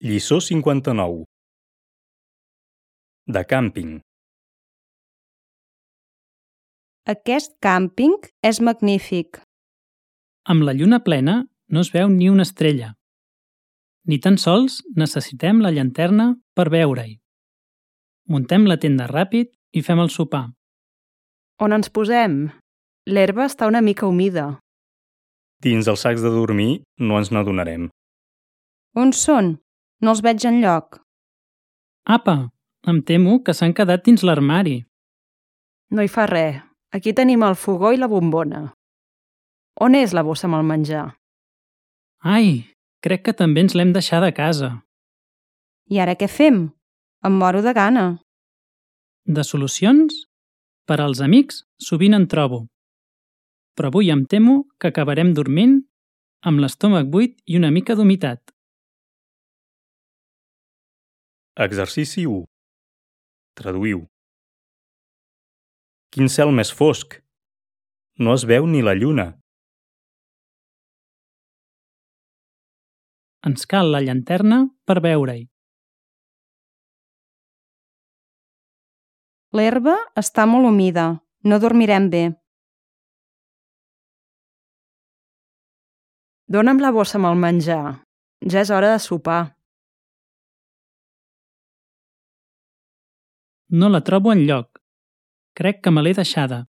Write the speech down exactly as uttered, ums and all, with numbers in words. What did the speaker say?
Lliçó cinquanta-nou. De càmping. Aquest càmping és magnífic. Amb la lluna plena no es veu ni una estrella. Ni tan sols necessitem la llanterna per veure-hi. Muntem la tenda ràpid i fem el sopar. On ens posem? L'herba està una mica humida. Dins els sacs de dormir no ens n'adonarem. On són? No els veig enlloc. Apa, em temo que s'han quedat dins l'armari. No hi fa res. Aquí tenim el fogó i la bombona. On és la bossa amb el menjar? Ai, crec que també ens l'hem deixada a casa. I ara què fem? Em moro de gana. De solucions? Per als amics sovint en trobo. Però avui em temo que acabarem dormint amb l'estómac buit i una mica d'humitat. Exercici u. Traduïu. Quin cel més fosc! No es veu ni la lluna. Ens cal la llanterna per veure-hi. L'herba està molt humida. No dormirem bé. Dóna'm la bossa amb el menjar. Ja és hora de sopar. No la trobo enlloc. Crec que me l'he deixada.